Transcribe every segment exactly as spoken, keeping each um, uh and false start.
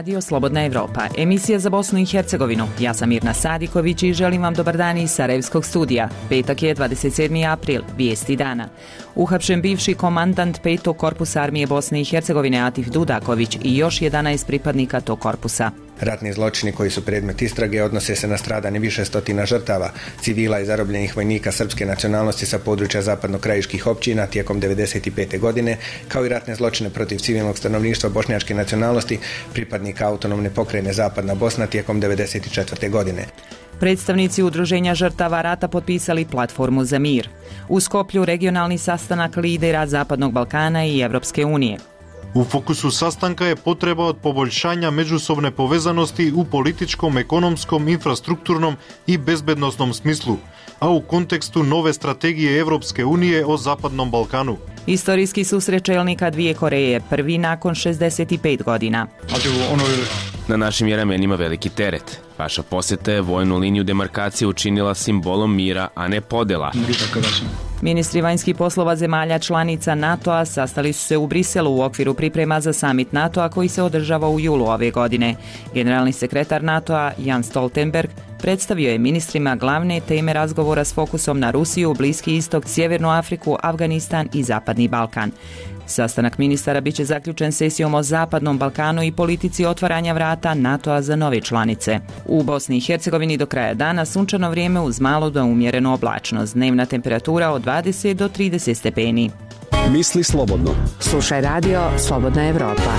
Radio Slobodna Evropa, emisija za Bosnu i Hercegovinu. Ja sam Mirna Sadiković i želim vam dobar dan iz Sarajevskog studija. Petak je dvadeset sedmi april, vijesti dana. Uhapšen bivši komandant petog korpusa armije Bosne i Hercegovine Atif Dudaković i još jedanaest pripadnika tog korpusa. Ratni zločini koji su predmet istrage odnose se na stradanje više stotina žrtava, civila i zarobljenih vojnika srpske nacionalnosti sa područja zapadno-krajiških općina tijekom devedeset pete. godine, kao i ratne zločine protiv civilnog stanovništva bošnjačke nacionalnosti, pripadnika autonomne pokrajine Zapadna Bosna tijekom devedeset četvrte. godine. Predstavnici udruženja žrtava rata potpisali platformu za mir. U Skoplju regionalni sastanak lidera Zapadnog Balkana i Evropske unije. U fokusu sastanka je potreba od poboljšanja međusobne povezanosti u političkom, ekonomskom, infrastrukturnom i bezbednosnom smislu, a u kontekstu nove strategije Evropske unije o Zapadnom Balkanu. Istorijski susret čelnika dvije Koreje, prvi nakon šezdeset pet godina. Na našim je ramenima veliki teret. Vaša posjeta je vojnu liniju demarkacije učinila simbolom mira, a ne podela. Ministri vanjskih poslova zemalja članica NATO-a sastali su se u Briselu u okviru priprema za samit NATO-a koji se održava u julu ove godine. Generalni sekretar NATO-a Jens Stoltenberg predstavio je ministrima glavne teme razgovora s fokusom na Rusiju, Bliski istok, Sjevernu Afriku, Afganistan i Zapadni Balkan. Sastanak ministara biće zaključen sesijom o Zapadnom Balkanu i politici otvaranja vrata NATO-a za nove članice. U Bosni i Hercegovini do kraja dana sunčano vrijeme uz malo do umjerenu oblačnost. Dnevna temperatura od dvadeset do trideset stepeni. Misli slobodno. Slušaj radio Slobodna Evropa.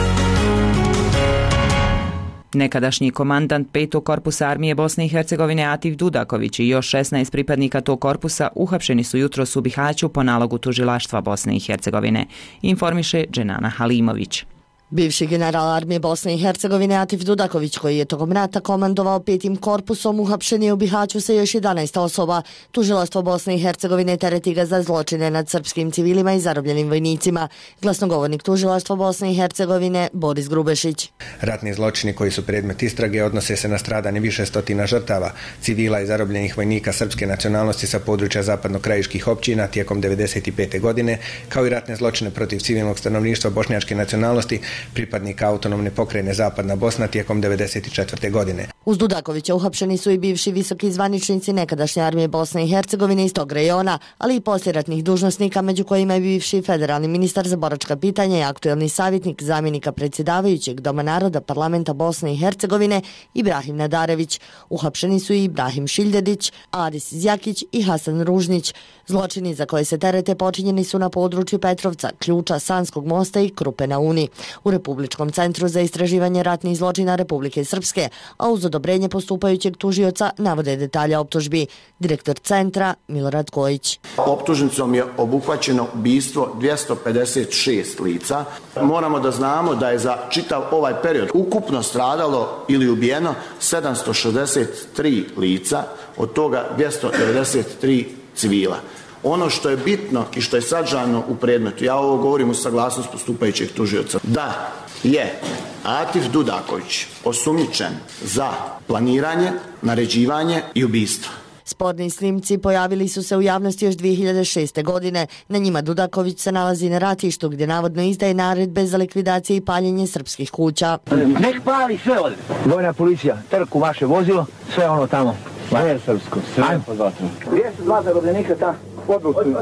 Nekadašnji komandant petog korpusa armije Bosne i Hercegovine Atif Dudaković i još šesnaest pripadnika tog korpusa uhapšeni su jutros u Bihaću po nalogu tužilaštva Bosne i Hercegovine, informiše Dženana Halimović. Bivši general armije Bosne i Hercegovine Atif Dudaković, koji je tokom rata komandovao petim korpusom, uhapšen je u Bihaću sa još jedanaest osoba. Tužilaštvo Bosne i Hercegovine tereti ga za zločine nad srpskim civilima i zarobljenim vojnicima. Glasnogovornik tužilaštva Bosne i Hercegovine Boris Grubešić. Ratni zločini koji su predmet istrage odnose se na stradanje više stotina žrtava, civila i zarobljenih vojnika srpske nacionalnosti sa područja zapadno-krajiških općina tijekom devedeset pete. godine, kao i ratne zločine protiv civilnog stanovništva bošnjačke nacionalnosti, pripadnika autonomne pokrajine Zapadna Bosna tijekom devedeset četvrte. godine. Uz Dudakovića uhapšeni su i bivši visoki zvaničnici nekadašnje armije Bosne i Hercegovine iz tog rejona, ali i poslijeratnih dužnosnika, među kojima je bivši federalni ministar za boračka pitanja i aktuelni savjetnik zamjenika predsjedavajućeg Doma naroda parlamenta Bosne i Hercegovine Ibrahim Nadarević. Uhapšeni su i Ibrahim Šiljedić, Adis Zjakić i Hasan Ružnić. Zločini za koje se terete počinjeni su na području Petrovca, Ključa, Sanskog mosta i Krupe na Uni. U Republičkom centru za istraživanje ratnih zločina Republike Srpske, a uz odobrenje postupajućeg tužioca navode detalja optužbi. Direktor centra Milorad Kojić. Optužnicom je obuhvaćeno ubistvo dvjesto pedeset šest lica. Moramo da znamo da je za čitav ovaj period ukupno stradalo ili ubijeno sedamsto šezdeset tri lica, od toga dvjesto devedeset tri civila. Ono što je bitno i što je sadržano u predmetu, ja ovo govorim u saglasnost postupajućeg tužioca, da je Atif Dudaković osumnjičen za planiranje, naređivanje i ubistvo. Sporni snimci pojavili su se u javnosti još dvije hiljade šeste. godine. Na njima Dudaković se nalazi na ratištu gdje navodno izdaje naredbe za likvidacije i paljenje srpskih kuća. Nek pali sve ovdje. Vojna policija, trku vaše vozilo, sve ono tamo. Sve srpsko, sve pod vatrom. Gdje su dva zarobljenika ta? Području.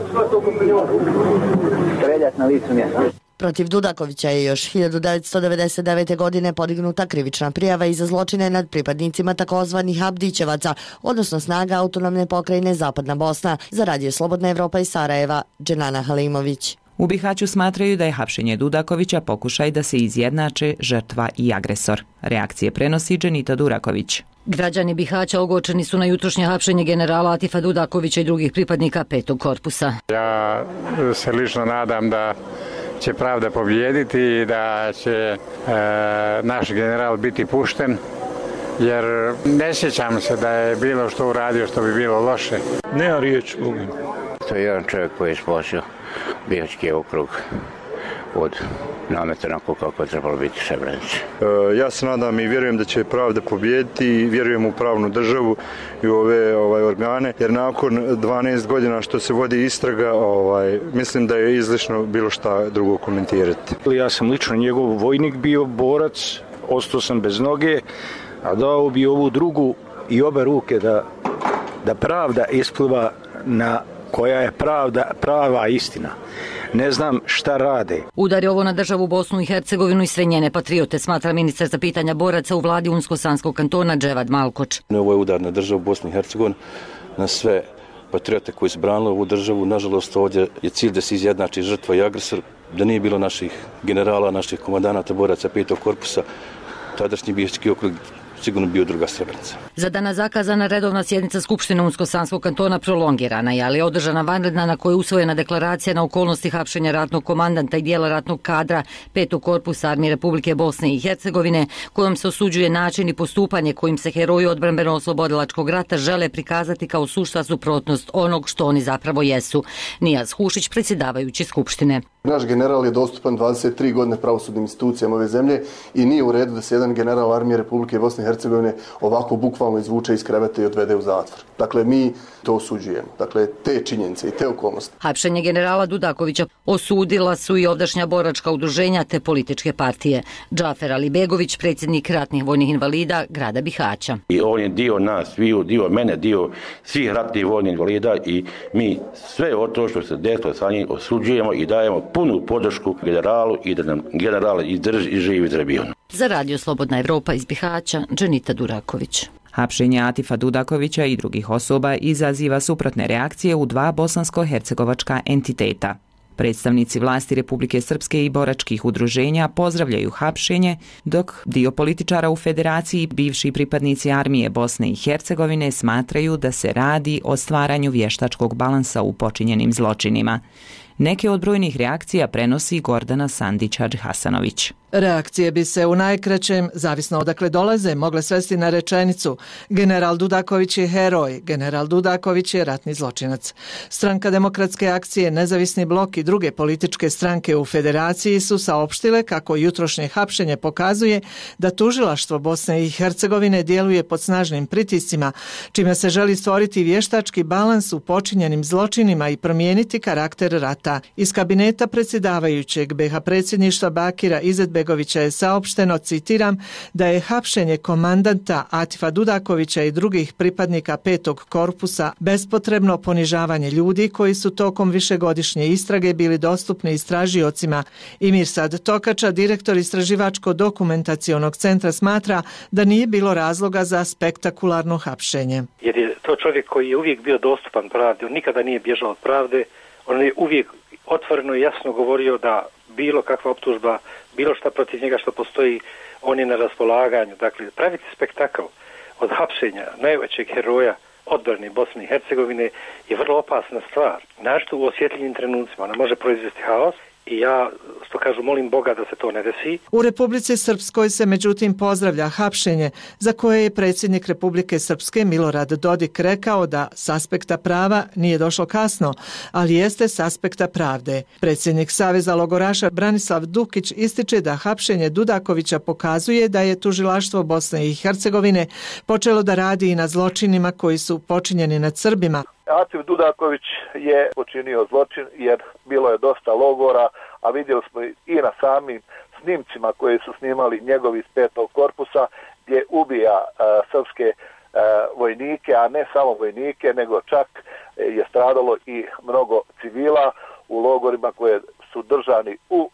Streljat na licu mjesta. Protiv Dudakovića je još hiljadu devetsto devedeset devete. godine podignuta krivična prijava i za zločine nad pripadnicima takozvanih Abdićevaca, odnosno snaga autonomne pokrajine Zapadna Bosna. Za Radio Slobodna Evropa iz Sarajeva, Dženana Halimović. U Bihaću smatraju da je hapšenje Dudakovića pokušaj da se izjednače žrtva i agresor. Reakcije prenosi Dženita Duraković. Građani Bihaća ogorčeni su na jutrošnje hapšenje generala Atifa Dudakovića i drugih pripadnika petog korpusa. Ja se lično nadam da će pravda pobijediti i da će e, naš general biti pušten, jer ne sjećam se da je bilo što uradio što bi bilo loše. Nema riječ, Bogu. To je jedan čovjek koji je spasio Bihaćki okrug od nameta onako kako je trebalo biti Srebrenici. E, ja se nadam i vjerujem da će pravda pobijediti i vjerujem u pravnu državu i u ove ovaj, organe, jer nakon dvanaest godina što se vodi istraga, ovaj, mislim da je izlišno bilo šta drugo komentirati. Ja sam lično njegov vojnik bio, borac, ostao sam bez noge, a dao bi ovu drugu i obe ruke da, da pravda ispliva na koja je pravda, prava istina. Ne znam šta rade. Udar je ovo na državu Bosnu i Hercegovinu i sve njene patriote, smatra ministar za pitanja boraca u vladi Unsko-Sanskog kantona Dževad Malkoč. Ovo je udar na državu Bosnu i Hercegovinu, na sve patriote koji su branili ovu državu. Nažalost, ovdje je cilj da se izjednači žrtva i agresor, da nije bilo naših generala, naših komandanata, boraca petog korpusa, tadašnji Bijeljski okrug sigurno bio druga Srebrenica. Za danas zakazana redovna sjednica Skupštine Unsko-Sanskog kantona prolongirana je, ali je održana vanredna na kojoj je usvojena deklaracija na okolnosti hapšenja ratnog komandanta i dijela ratnog kadra petog korpusa Armije Republike Bosne i Hercegovine, kojom se osuđuje način i postupanje kojim se heroji odbrambeno-oslobodilačkog rata žele prikazati kao sušta suprotnost onog što oni zapravo jesu. Nijaz Hušić, predsjedavajući Skupštine. Naš general je dostupan dvadeset tri godine pravosudnim institucijama ove zemlje i nije u redu da se jedan general Armije Republike Bosne i Hercegovine ovako bukvalno izvuče iz kreveta i odvede u zatvor. Dakle, mi to osuđujemo. Dakle, te činjenice i te okolnosti. Hapšenje generala Dudakovića osudila su i ovdašnja boračka udruženja te političke partije. Džafer Alibegović, predsjednik ratnih vojnih invalida grada Bihaća. I on je dio nas, dio mene, dio svih ratnih vojnih invalida i mi sve od to što se desilo sa njim osuđujemo i dajemo punu podršku generalu i da nam general izdrži i živi Trebijonu. Za Radio Slobodna Evropa iz Bihaća, Dženita Duraković. Hapšenje Atifa Dudakovića i drugih osoba izaziva suprotne reakcije u dva bosansko-hercegovačka entiteta. Predstavnici vlasti Republike Srpske i boračkih udruženja pozdravljaju hapšenje, dok dio političara u federaciji, bivši pripadnici armije Bosne i Hercegovine, smatraju da se radi o stvaranju vještačkog balansa u počinjenim zločinima. Neke od brojnih reakcija prenosi Gordana Sandić-Hadžihasanović. Reakcije bi se u najkraćem, zavisno odakle dolaze, mogle svesti na rečenicu: general Dudaković je heroj, general Dudaković je ratni zločinac. Stranka demokratske akcije, Nezavisni blok i druge političke stranke u federaciji su saopštile kako jutrošnje hapšenje pokazuje da tužilaštvo Bosne i Hercegovine djeluje pod snažnim pritiscima, čime se želi stvoriti vještački balans u počinjenim zločinima i promijeniti karakter rata. Iz kabineta predsjedavajućeg B iH predsjedništva Bakira Izetbegovića je saopšteno, citiram, da je hapšenje komandanta Atifa Dudakovića i drugih pripadnika petog korpusa bespotrebno ponižavanje ljudi koji su tokom višegodišnje istrage bili dostupni istražiocima. I Mirsad Tokača, direktor Istraživačko-dokumentacionog centra, smatra da nije bilo razloga za spektakularno hapšenje. Jer je to čovjek koji je uvijek bio dostupan pravdi, on nikada nije bježao od pravde, on je uvijek otvoreno i jasno govorio da bilo kakva optužba, bilo šta protiv njega što postoji, on je na raspolaganju. Dakle, praviti spektakl od hapšenja najvećeg heroja odbrane Bosne i Hercegovine je vrlo opasna stvar. Našto u osjetljivim trenucima ona može proizvesti haos i ja, što kažu, molim Boga da se to ne desi. U Republici Srpskoj se međutim pozdravlja hapšenje, za koje je predsjednik Republike Srpske Milorad Dodik rekao da s aspekta prava nije došlo kasno, ali jeste s aspekta pravde. Predsjednik Saveza logoraša Branislav Dukić ističe da hapšenje Dudakovića pokazuje da je tužilaštvo Bosne i Hercegovine počelo da radi i na zločinima koji su počinjeni nad Srbima. Atif Dudaković je počinio zločin jer bilo je dosta logora, a vidjeli smo i na samim snimcima koje su snimali njegovi iz petog korpusa gdje ubija uh, srpske uh, vojnike, a ne samo vojnike, nego čak je stradalo i mnogo civila u logorima koje su držani u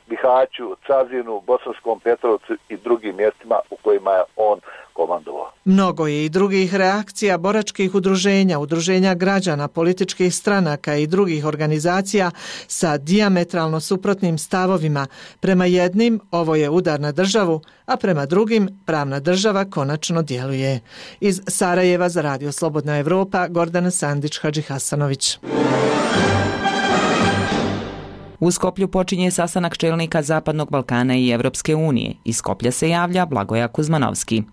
Bihaću, Cazinu, Bosanskom Petrovcu i drugim mjestima u kojima je on komandovao. Mnogo je i drugih reakcija boračkih udruženja, udruženja građana, političkih stranaka i drugih organizacija sa dijametralno suprotnim stavovima. Prema jednim ovo je udar na državu, a prema drugim pravna država konačno djeluje. Iz Sarajeva za Radio Slobodna Evropa, Gordana Sandić-Hadžihasanović. U Skoplju počinje sastanak čelnika Zapadnog Balkana i Evropske unije. Iz Skoplja se javlja Blagoja Kuzmanovski.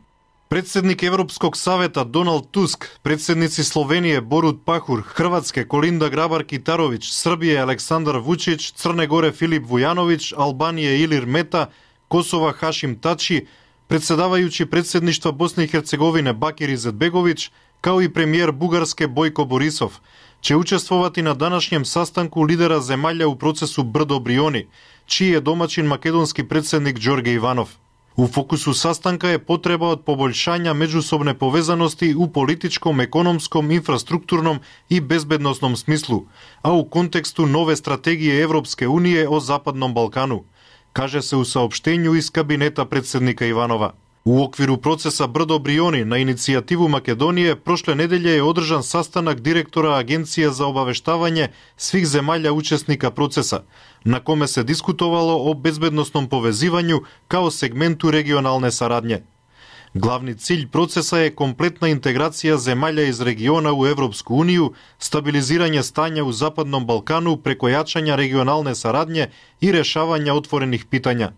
Predsjednik Evropskog saveta Donald Tusk, predsjednici Slovenije Borut Pahor, Hrvatske Kolinda Grabar-Kitarović, Srbije Aleksandar Vučić, Crne Gore Filip Vujanović, Albanije Ilir Meta, Kosova Hašim Tači, predsjedavajući predsjedništva Bosne i Hercegovine Bakir Izetbegović, kao i premijer Bugarske Bojko Borisov, će učestvovati na današnjem sastanku lidera zemalja u procesu Brdo Brioni, čiji je domaćin makedonski predsjednik Đorđe Ivanov. U fokusu sastanka je potreba od poboljšanja međusobne povezanosti u političkom, ekonomskom, infrastrukturnom i bezbednosnom smislu, a u kontekstu nove strategije Evropske unije o Zapadnom Balkanu, kaže se u saopštenju iz kabineta predsednika Ivanova. U okviru procesa Brdo Brioni na inicijativu Makedonije prošle nedelje je održan sastanak direktora Agencije za obaveštavanje svih zemalja učesnika procesa, na kome se diskutovalo o bezbednosnom povezivanju kao segmentu regionalne saradnje. Glavni cilj procesa je kompletna integracija zemalja iz regiona u Evropsku uniju, stabiliziranje stanja u Zapadnom Balkanu preko jačanja regionalne saradnje i rešavanja otvorenih pitanja.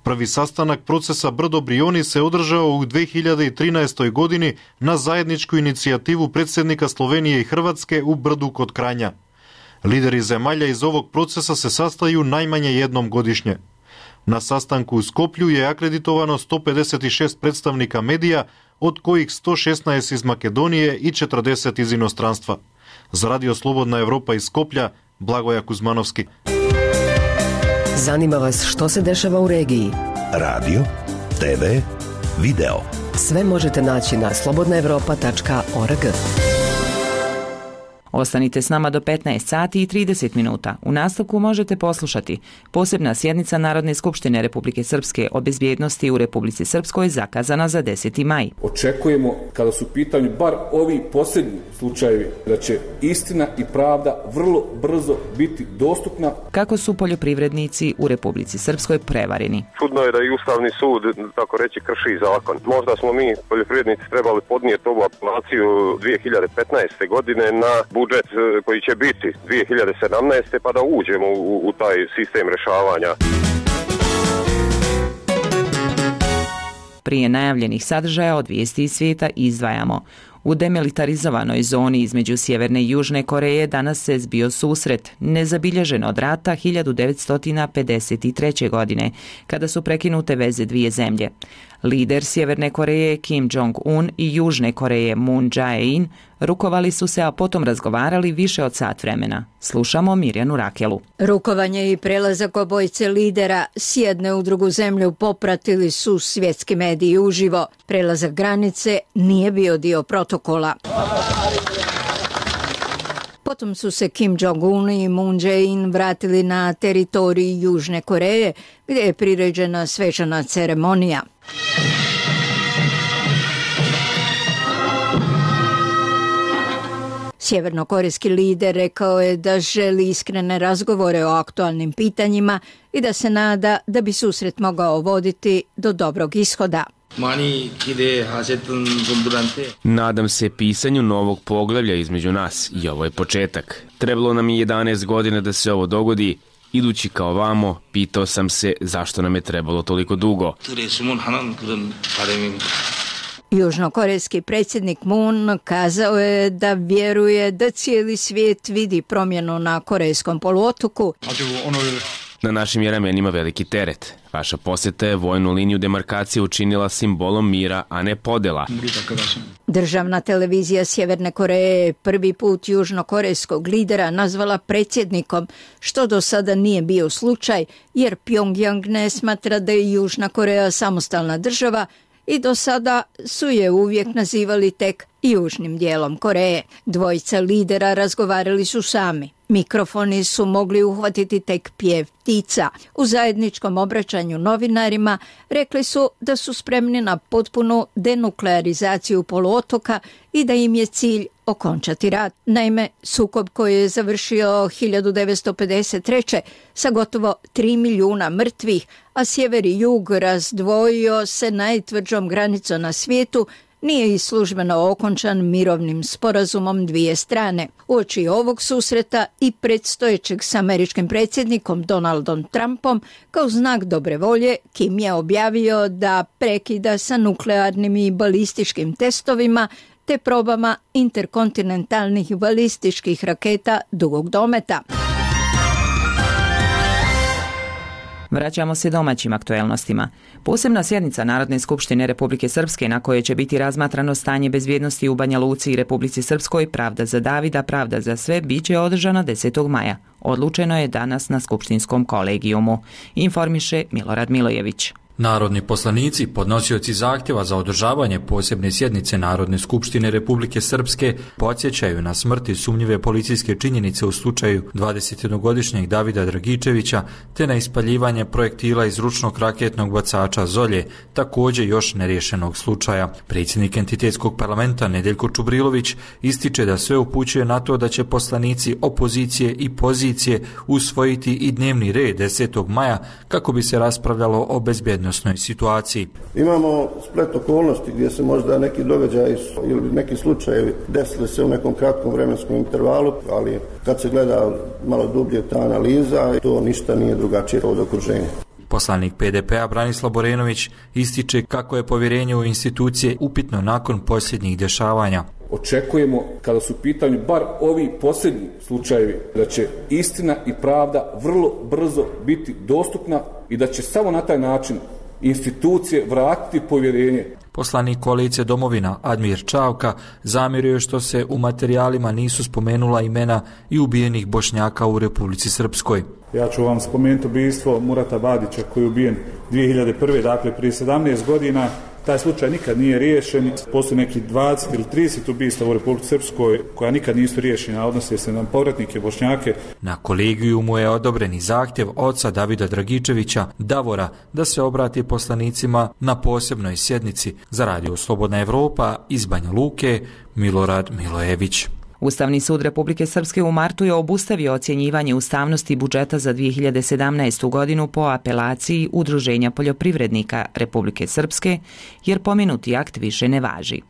Prvi sastanak procesa Brdo Brioni se održao u dve hiljade trinaestoj. godini na zajedničku inicijativu predsednika Slovenije i Hrvatske u Brdu kod Kranja. Lideri zemalja iz ovog procesa se sastaju najmanje jednom godišnje. Na sastanku u Skoplju je akreditovano sto pedeset šest predstavnika medija, od kojih sto šesnaest iz Makedonije i četrdeset iz inostranstva. Za Radio Slobodna Evropa iz Skoplja, Blagoja Kuzmanovski. Zanima vas što se dešava u regiji? Radio, te ve, video. Sve možete naći na slobodna evropa tačka org. Ostanite s nama do petnaest sati i trideset minuta. U nastavku možete poslušati posebna sjednica Narodne skupštine Republike Srpske o bezbjednosti u Republici Srpskoj zakazana za deseti maj. Očekujemo, kada su u pitanju bar ovi posljednji slučajevi, da će istina i pravda vrlo brzo biti dostupna. Kako su poljoprivrednici u Republici Srpskoj prevareni? Čudno je da i Ustavni sud, tako reći, krši zakon. Možda smo mi, poljoprivrednici, trebali podnijeti ovu apelaciju dvije hiljade petnaeste. godine na budžet koji će biti dvije hiljade sedamnaeste. pa da uđemo u, u taj sistem rešavanja. Prije najavljenih sadržaja od vijesti iz svijeta izdvajamo. U demilitarizovanoj zoni između Sjeverne i Južne Koreje danas se zbio susret, nezabilježen od rata hiljadu devetsto pedeset treće. godine, kada su prekinute veze dvije zemlje. Lider Sjeverne Koreje Kim Jong-un i Južne Koreje Moon Jae-in rukovali su se, a potom razgovarali više od sat vremena. Slušamo Mirjanu Rakelu. Rukovanje i prelazak obojice lidera s jedne u drugu zemlju popratili su svjetski mediji uživo. Prelazak granice nije bio dio protokola. Potom su se Kim Jong-un i Moon Jae-in vratili na teritoriji Južne Koreje, gdje je priređena svečana ceremonija. Sjevernokorejski lider rekao je da želi iskrene razgovore o aktualnim pitanjima i da se nada da bi susret mogao voditi do dobrog ishoda. Nadam se pisanju novog poglavlja između nas i ovo je početak. Trebalo nam je jedanaest godina da se ovo dogodi. Idući kao vamo, pitao sam se zašto nam je trebalo toliko dugo. Južnokorejski predsjednik Moon kazao je da vjeruje da cijeli svijet vidi promjenu na Korejskom poluotoku. Na našim je ramenima veliki teret. Vaša posjeta je vojnu liniju demarkacije učinila simbolom mira, a ne podela. Državna televizija Sjeverne Koreje prvi put južnokorejskog lidera nazvala predsjednikom, što do sada nije bio slučaj, jer Pyongyang ne smatra da je Južna Koreja samostalna država i do sada su je uvijek nazivali tek južnim dijelom Koreje. Dvojica lidera razgovarali su sami. Mikrofoni su mogli uhvatiti tek pjev ptica. U zajedničkom obraćanju novinarima rekli su da su spremni na potpunu denuklearizaciju poluotoka i da im je cilj okončati rat. Naime, sukob koji je završio hiljadu devetsto pedeset treće. sa gotovo tri milijuna mrtvih, a sjever i jug razdvojio se najtvrđom granicom na svijetu, nije i službeno okončan mirovnim sporazumom dvije strane. Uoči ovog susreta i predstojećeg s američkim predsjednikom Donaldom Trumpom, kao znak dobre volje, Kim je objavio da prekida sa nuklearnim i balističkim testovima te probama interkontinentalnih balističkih raketa dugog dometa. Vraćamo se domaćim aktuelnostima. Posebna sjednica Narodne skupštine Republike Srpske na kojoj će biti razmatrano stanje bezbjednosti u Banja Luci i Republici Srpskoj, pravda za Davida, pravda za sve, bit će održana desetog maja. Odlučeno je danas na skupštinskom kolegijumu, informiše Milorad Milojević. Narodni poslanici, podnosioci zahtjeva za održavanje posebne sjednice Narodne skupštine Republike Srpske, podsjećaju na smrti sumnjive policijske činjenice u slučaju dvadesetjednogodišnjeg Davida Dragičevića te na ispaljivanje projektila iz ručnog raketnog bacača Zolje, također još neriješenog slučaja. Predsjednik entitetskog parlamenta Nedeljko Čubrilović ističe da sve upućuje na to da će poslanici opozicije i pozicije usvojiti i dnevni red desetog maja kako bi se raspravljalo o bezbjednosti situaciji. Imamo splet okolnosti gdje se možda neki događaji ili neki slučajevi desili se u nekom kratkom vremenskom intervalu, ali kad se gleda malo dublje ta analiza, to ništa nije drugačije od okruženja. Poslanik P D P-a Branislav Borenović ističe kako je povjerenje u institucije upitno nakon posljednjih dešavanja. Očekujemo, kada su u pitanju bar ovi posljednji slučajevi, da će istina i pravda vrlo brzo biti dostupna i da će samo na taj način institucije vratiti povjerenje. Poslanik koalicije Domovina Admir Čavka zamjerio je što se u materijalima nisu spomenula imena i ubijenih Bošnjaka u Republici Srpskoj. Ja ću vam spomenuti ubijstvo Murata Badića koji je ubijen dvije hiljade prve. dakle prije sedamnaest godina. Taj slučaj nikad nije riješen. Postoji neki dvadeset ili trideset ubijstva u Republici Srpskoj koja nikad nisu riješena, odnose se na povratnike Bošnjake. Na kolegijumu je odobreni zahtjev oca Davida Dragičevića, Davora, da se obrati poslanicima na posebnoj sjednici. Za Radio Slobodna Evropa iz Banja Luke, Milorad Milojević. Ustavni sud Republike Srpske u martu je obustavio ocjenjivanje ustavnosti budžeta za dvije hiljade sedamnaestu. godinu po apelaciji Udruženja poljoprivrednika Republike Srpske, jer pomenuti akt više ne važi.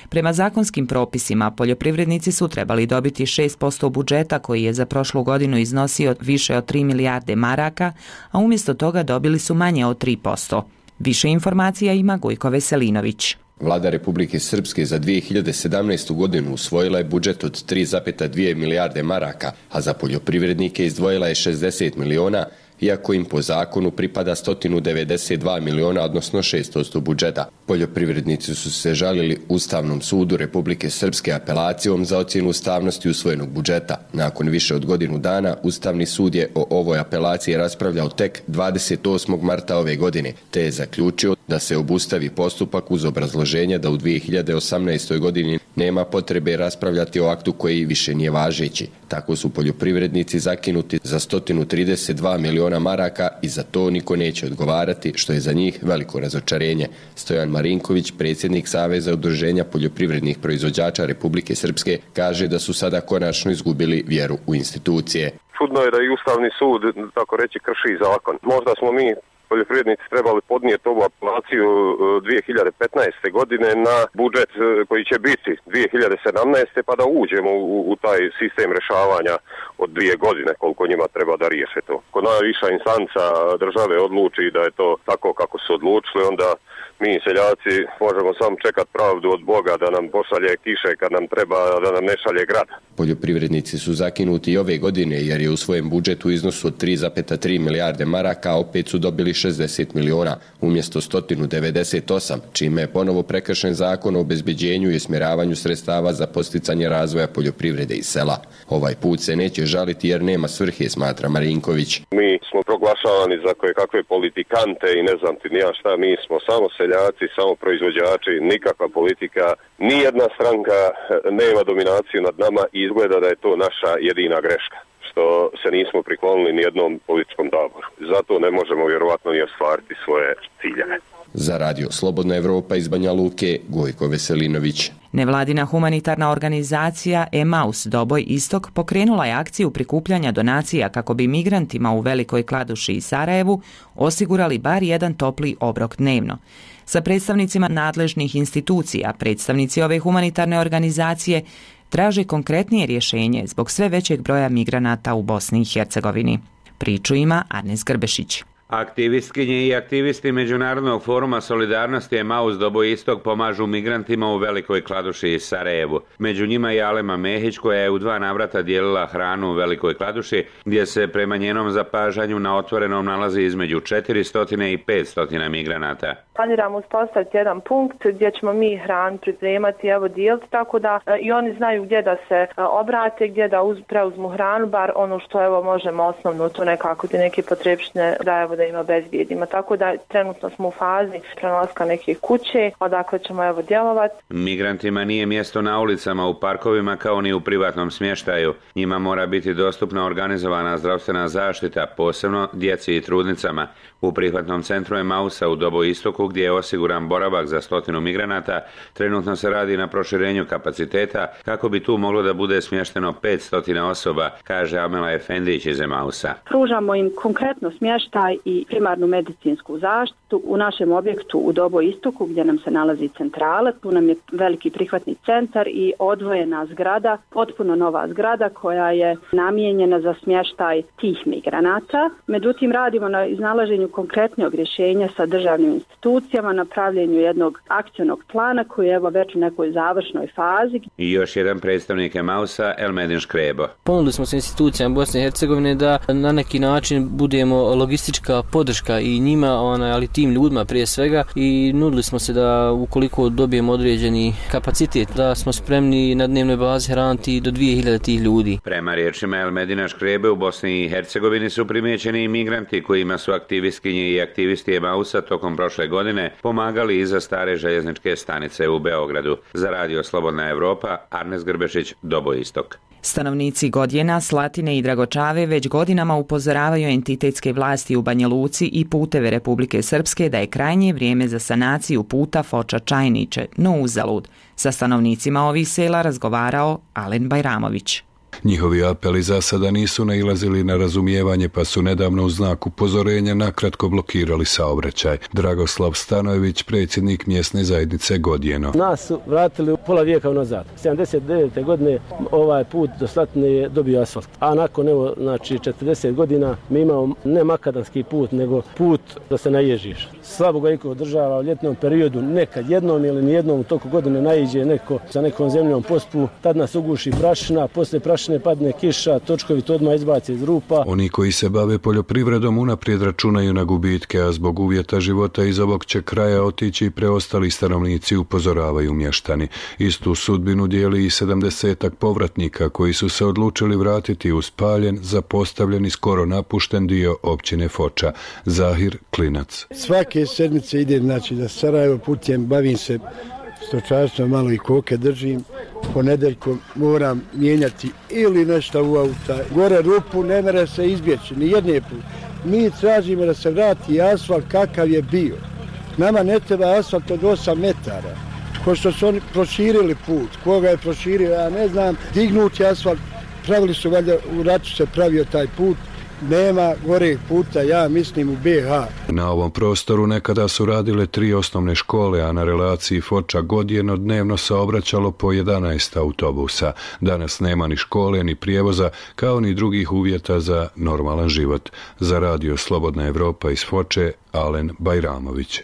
Prema zakonskim propisima, poljoprivrednici su trebali dobiti šest posto budžeta koji je za prošlu godinu iznosio više od tri milijarde maraka, a umjesto toga dobili su manje od tri posto. Više informacija ima Gojko Veselinović. Vlada Republike Srpske za dvije hiljade sedamnaestu. godinu usvojila je budžet od tri zarez dvije milijarde maraka, a za poljoprivrednike izdvojila je šezdeset miliona, iako im po zakonu pripada sto devedeset dva miliona, odnosno šest posto budžeta. Poljoprivrednici su se žalili Ustavnom sudu Republike Srpske apelacijom za ocjenu ustavnosti usvojenog budžeta. Nakon više od godinu dana, Ustavni sud je o ovoj apelaciji raspravljao tek dvadeset osmog marta ove godine, te je zaključio da se obustavi postupak uz obrazloženje da u dvije hiljade osamnaestoj. godini nema potrebe raspravljati o aktu koji više nije važeći. Tako su poljoprivrednici zakinuti za sto trideset dva miliona maraka i za to niko neće odgovarati, što je za njih veliko razočarenje. Stojan Marinković, predsjednik Saveza udruženja poljoprivrednih proizvođača Republike Srpske, kaže da su sada konačno izgubili vjeru u institucije. Čudno je da i Ustavni sud, tako reći, krši zakon. Možda smo mi poljoprivrednici trebali podnijeti ovu apelaciju dvije hiljade petnaeste. godine na budžet koji će biti dvije hiljade sedamnaeste. pa da uđemo u, u taj sistem rješavanja od dvije godine koliko njima treba da riješe to. Ko najviša instanca države odluči da je to tako kako su odlučili, onda mi seljaci možemo samo čekati pravdu od Boga da nam pošalje kiše kad nam treba, da nam ne šalje grad. Poljoprivrednici su zakinuti i ove godine jer je u svojem budžetu u iznosu od tri zarez tri milijarde maraka opet su dobili šezdeset miliona umjesto sto devedeset osam, čime je ponovo prekršen zakon o obezbeđenju i usmjeravanju sredstava za posticanje razvoja poljoprivrede i sela. Ovaj put se neće žaliti jer nema svrhe, smatra Marinković. Mi smo proglašavani za koje kakve politikante i ne znam ti ni ja šta, mi smo samo seljaci, samo proizvođači, nikakva politika, nijedna stranka nema dominaciju nad nama i izgleda da je to naša jedina greška, što se nismo priklonili ni jednom političkom taboru. Zato ne možemo vjerovatno ni ostvariti svoje ciljeve. Za Radio Slobodna Evropa iz Banja Luke, Gojko Veselinović. Nevladina humanitarna organizacija Emaus Doboj Istok pokrenula je akciju prikupljanja donacija kako bi migrantima u Velikoj Kladuši i Sarajevu osigurali bar jedan topli obrok dnevno. Sa predstavnicima nadležnih institucija, predstavnici ove humanitarne organizacije traže konkretnije rješenje zbog sve većeg broja migranata u Bosni i Hercegovini. Priču ima Arnes Grbešić. Aktivistkinje i aktivisti Međunarodnog foruma solidarnosti Emaus Doboj Istok pomažu migrantima u Velikoj Kladuši i Sarajevu. Među njima je Alema Mehić koja je u dva navrata dijelila hranu u Velikoj Kladuši, gdje se prema njenom zapažanju na otvorenom nalazi između četiristo i petsto migranata. Planiramo uspostaviti jedan punkt gdje ćemo mi hranu pripremati, evo dijeliti, tako da e, i oni znaju gdje da se e, obrate, gdje da uz, preuzmu hranu, bar ono što evo možemo osnovno tu nekako ti neke potrebštine da evo da im obezbijedimo. Tako da trenutno smo u fazi prenalaska neke kuće, odakle ćemo evo djelovati. Migrantima nije mjesto na ulicama, u parkovima kao ni u privatnom smještaju. Njima mora biti dostupna organizovana zdravstvena zaštita, posebno djeci i trudnicama. U prihvatnom centru Emausa u Doboistoku, gdje je osiguran boravak za stotinu migranata, trenutno se radi na proširenju kapaciteta kako bi tu moglo da bude smješteno petsto osoba, kaže Amela Efendić iz Emausa. Pružamo im konkretno smještaj i primarnu medicinsku zaštitu u našem objektu u Doboistoku gdje nam se nalazi centrala. Tu nam je veliki prihvatni centar i odvojena zgrada, potpuno nova zgrada koja je namijenjena za smještaj tih migranata. Međutim, radimo na iznalaženju konkretnog rješenja sa državnim institucijama, na pravljenju jednog akcionog plana koji je evo već u nekoj završnoj fazi. I još jedan predstavnik Emausa, Elmedin Škrebo. Ponudili smo se institucijama Bosne i Hercegovine da na neki način budemo logistička podrška i njima, ali tim ljudima prije svega, i nudili smo se da ukoliko dobijemo određeni kapacitet, da smo spremni na dnevnoj bazi hraniti do dvije hiljade tih ljudi. Prema riječima Elmedina Škrebe, u Bosni i Hercegovini su primijećeni i migranti kojima su aktivistkinje i aktivisti Emausa tokom prošle godine pomagali iza stare željezničke stanice u Beogradu. Za radio Slobodna Evropa, Arnes Grbešić, Doboistok. Stanovnici Godjena, Slatine i Dragočave već godinama upozoravaju entitetske vlasti u Banja Luci i puteve Republike Srpske da je krajnje vrijeme za sanaciju puta Foča-Čajniče, no uzalud. Sa stanovnicima ovih sela razgovarao Alen Bajramović. Njihovi apeli za sada nisu nailazili na razumijevanje, pa su nedavno u znak upozorenja nakratko blokirali saobraćaj. Dragoslav Stanojević, predsjednik mjesne zajednice Godjeno. Nas su vratili u pola vijeka unazad. sedamdeset devete godine ovaj put do Slatine je dobio asfalt. A nakon evo, znači četrdeset godina mi imamo ne makadamski put, nego put da se naježiš. Slabo ga iko održava u ljetnom periodu, nekad jednom ili nijednom u toku godine naiđe neko sa nekom zemljom pospu, tad nas uguši prašina, poslije prašine padne kiša, točkovi to odmah izbace iz rupa. Oni koji se bave poljoprivredom unaprijed računaju na gubitke, a zbog uvjeta života iz ovog će kraja otići i preostali stanovnici, upozoravaju mještani. Istu sudbinu dijeli i sedamdesetak povratnika koji su se odlučili vratiti u spaljen, zapostavljen i skoro napušten dio općine Foča. Zahir Klinac. Svake sedmice ide znači da Sarajevo putem, bavim se stočarstvom, malo i koke držim. Ponedeljkom moram mijenjati ili nešto u auta. Gore rupu ne mere se izbjeći, ni jedne put. Mi tražimo da se vrati asfalt kakav je bio. Nama ne treba asfalt od osam metara. Ko što su oni proširili put, koga je proširio, ja ne znam, dignuti asfalt, pravili su valjda, u ratu se pravio taj put. Nema goreg puta, ja mislim, u be ha. Na ovom prostoru nekada su radile tri osnovne škole, a na relaciji Foča-Godjeno dnevno se obraćalo po jedanaest autobusa. Danas nema ni škole, ni prijevoza, kao ni drugih uvjeta za normalan život. Za radio Slobodna Evropa iz Foče, Alen Bajramović.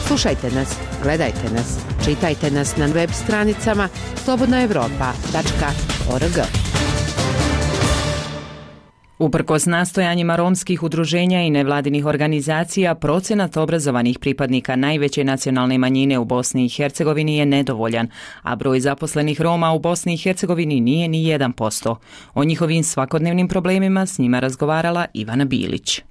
Slušajte nas, gledajte nas, čitajte nas na web stranicama slobodna evropa tačka org. Uprkos nastojanjima romskih udruženja i nevladinih organizacija, procenat obrazovanih pripadnika najveće nacionalne manjine u Bosni i Hercegovini je nedovoljan, a broj zaposlenih Roma u Bosni i Hercegovini nije ni jedan posto. O njihovim svakodnevnim problemima s njima razgovarala Ivana Bilić.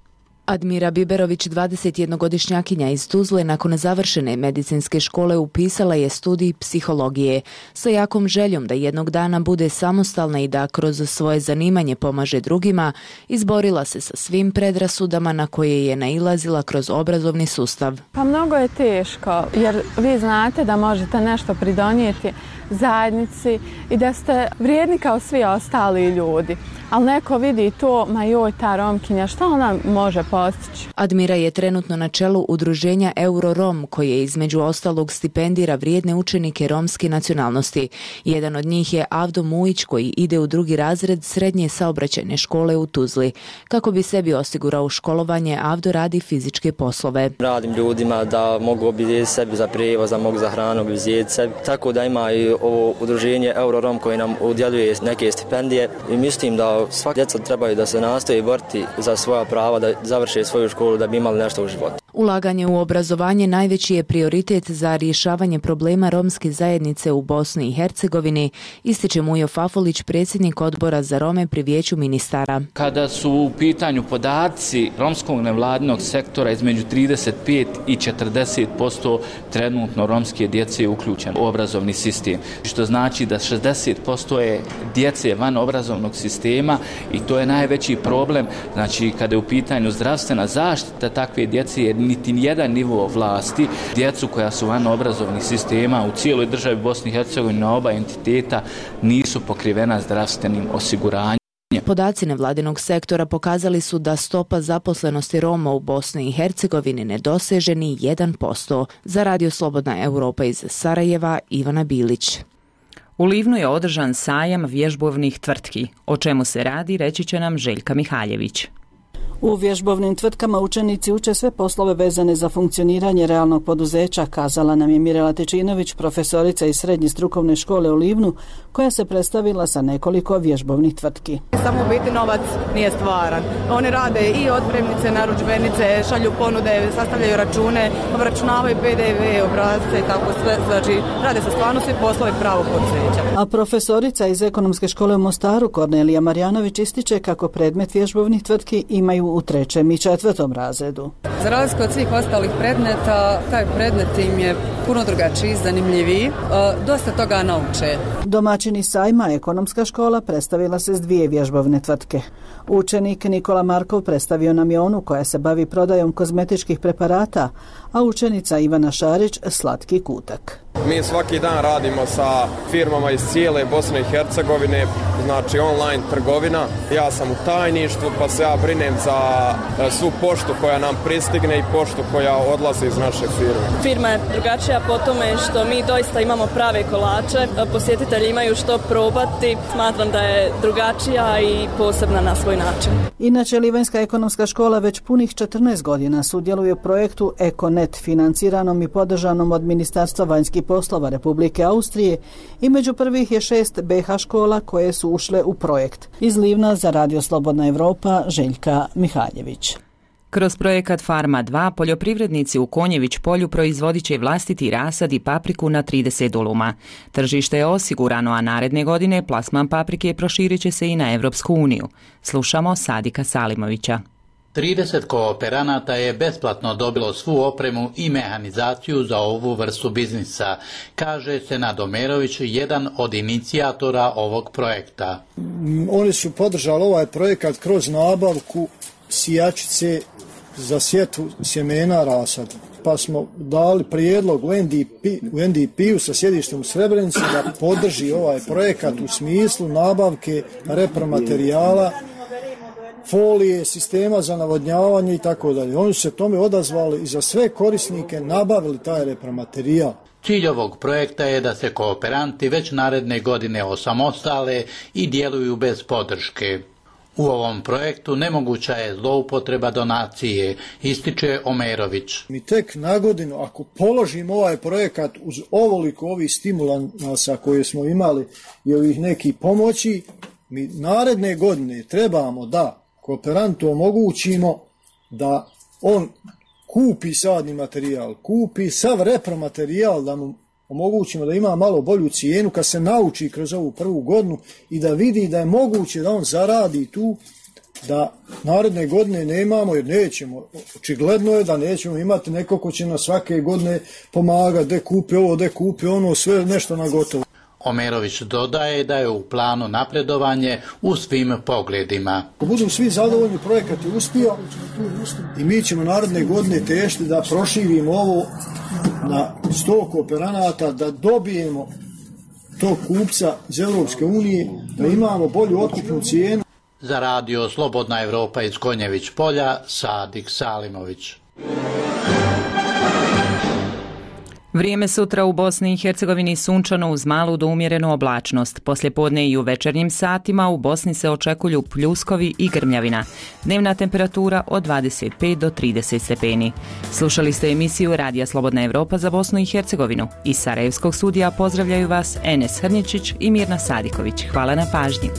Admira Biberović, dvadesetjednogodišnjakinja iz Tuzle, nakon završene medicinske škole upisala je studij psihologije sa jakom željom da jednog dana bude samostalna i da kroz svoje zanimanje pomaže drugima. Izborila se sa svim predrasudama na koje je nailazila kroz obrazovni sustav. Pa mnogo je teško, jer vi znate da možete nešto pridonijeti zajednici i da ste vrijedni kao svi ostali ljudi. Ali neko vidi to, ma joj, ta Romkinja, šta ona može postići? Admira je trenutno na čelu udruženja Eurorom, koje između ostalog stipendira vrijedne učenike romske nacionalnosti. Jedan od njih je Avdo Mujić, koji ide u drugi razred srednje saobraćajne škole u Tuzli. Kako bi sebi osigurao školovanje, Avdo radi fizičke poslove. Radim ljudima da mogu obizijeti sebi za prijevoz, da mogu za hranu obizijeti sebi. Tako da ima i ovo udruženje Eurorom koje nam udjeljuje neke stipendije i mislim da svaka djeca trebaju da se nastoji boriti za svoja prava, da završe svoju školu, da bi imali nešto u životu. Ulaganje u obrazovanje najveći je prioritet za rješavanje problema romske zajednice u Bosni i Hercegovini, ističe Mujo Fafolić, predsjednik odbora za Rome pri Vijeću ministara. Kada su u pitanju podaci romskog nevladinog sektora, između trideset pet i četrdeset posto trenutno romske djece je uključeno u obrazovni sistem, što znači da šezdeset posto je djece van obrazovnog sistema i to je najveći problem. Znači, kada je u pitanju zdravstvena zaštita takve djece, jer niti jedan nivo vlasti djecu koja su van obrazovnih sistema u cijeloj državi Bosni i Hercegovini na oba entiteta nisu pokrivena zdravstvenim osiguranjem. Podaci nevladinog sektora pokazali su da stopa zaposlenosti Roma u Bosni i Hercegovini ne doseže ni jedan posto. Za Radio Slobodna Europa iz Sarajeva, Ivana Bilić. U Livnu je održan sajam vježbovnih tvrtki. O čemu se radi, reći će nam Željka Mihaljević. U vježbovnim tvrtkama učenici uče sve poslove vezane za funkcioniranje realnog poduzeća, kazala nam je Mirela Tečinović, profesorica iz Srednje strukovne škole u Livnu, koja se predstavila sa nekoliko vježbovnih tvrtki. Samo u biti novac nije stvaran. Oni rade i otpremnice, narudžbenice, šalju ponude, sastavljaju račune, obračunavaju P D V, obrasce i tako sve. Znači, rade se stvarno svi poslovi pravog poduzeća. A profesorica iz Ekonomske škole u Mostaru, Kornelija Marjanović, ističe kako predmet vježbovnih tvrtki imaju u trećem i četvrtom razredu. Za razliku od svih ostalih predmeta, taj predmet im je puno drugačiji, zanimljiviji, dosta toga nauče. Domaćini sajma Ekonomska škola predstavila se s dvije vježbovne tvrtke. Učenik Nikola Markov predstavio nam je onu koja se bavi prodajom kozmetičkih preparata, a učenica Ivana Šarić slatki kutak. Mi svaki dan radimo sa firmama iz cijele Bosne i Hercegovine, znači online trgovina. Ja sam u tajništvu, pa se ja brinem za svu poštu koja nam pristigne i poštu koja odlazi iz naše firme. Firma je drugačija po tome što mi doista imamo prave kolače, posjetitelji imaju što probati. Smatram da je drugačija i posebna na svoj način. Inače, Livanjska ekonomska škola već punih četrnaest godina sudjeluje u projektu EkoNet, financiranom i podržanom od Ministarstva vanjskih poslova Republike Austrije, i među prvih je šest B H škola koje su ušle u projekt. Iz Livna za Radio Slobodna Europa, Željka Mihaljević. Kroz projekat Farma dva poljoprivrednici u Konjević polju proizvodit će vlastiti rasad i papriku na trideset duluma. Tržište je osigurano, a naredne godine plasman paprike proširit će se i na Evropsku uniju. Slušamo Sadika Salimovića. trideset kooperanata je besplatno dobilo svu opremu i mehanizaciju za ovu vrstu biznisa, kaže Senad Omerović, jedan od inicijatora ovog projekta. Oni su podržali ovaj projekat kroz nabavku sijačice za sjetvu sjemena rasada. Pa smo dali prijedlog u N D P-u sa sjedištem u Srebrenici da podrži ovaj projekat u smislu nabavke repromaterijala, folije, sistema za navodnjavanje i tako dalje. Oni su se tome odazvali i za sve korisnike nabavili taj repromaterijal. Cilj ovog projekta je da se kooperanti već naredne godine osamostale i djeluju bez podrške. U ovom projektu nemoguća je zloupotreba donacije, ističe Omerović. Mi tek na godinu, ako položimo ovaj projekat uz ovoliko ovih stimulansa koje smo imali i ovih nekih pomoći, mi naredne godine trebamo da kooperantu omogućimo da on kupi sadni materijal, kupi sav repromaterijal, da mu omogućimo da ima malo bolju cijenu kad se nauči kroz ovu prvu godinu i da vidi da je moguće da on zaradi tu, da naredne godine nemamo, jer nećemo, očigledno je da nećemo imati neko ko će nas svake godine pomagati, de kupi ovo, de kupi ono, sve nešto na gotovo. Omerović dodaje da je u planu napredovanje u svim pogledima. Ako budu svi zadovoljni, projekat je uspio i mi ćemo naredne godine težiti da proširimo ovo na sto kooperanata, da dobijemo tog kupca iz Europske unije, da imamo bolju otkupnu cijenu. Za Radio Slobodna Europa iz Konjević polja, Sadik Salimović. Vrijeme sutra u Bosni i Hercegovini sunčano uz malu do umjerenu oblačnost. Poslijepodne i u večernjim satima u Bosni se očekuju pljuskovi i grmljavina. Dnevna temperatura od dvadeset pet do trideset stepeni. Slušali ste emisiju Radija Slobodna Europa za Bosnu i Hercegovinu. Iz Sarajevskog studija pozdravljaju vas Enes Hrničić i Mirna Sadiković. Hvala na pažnji.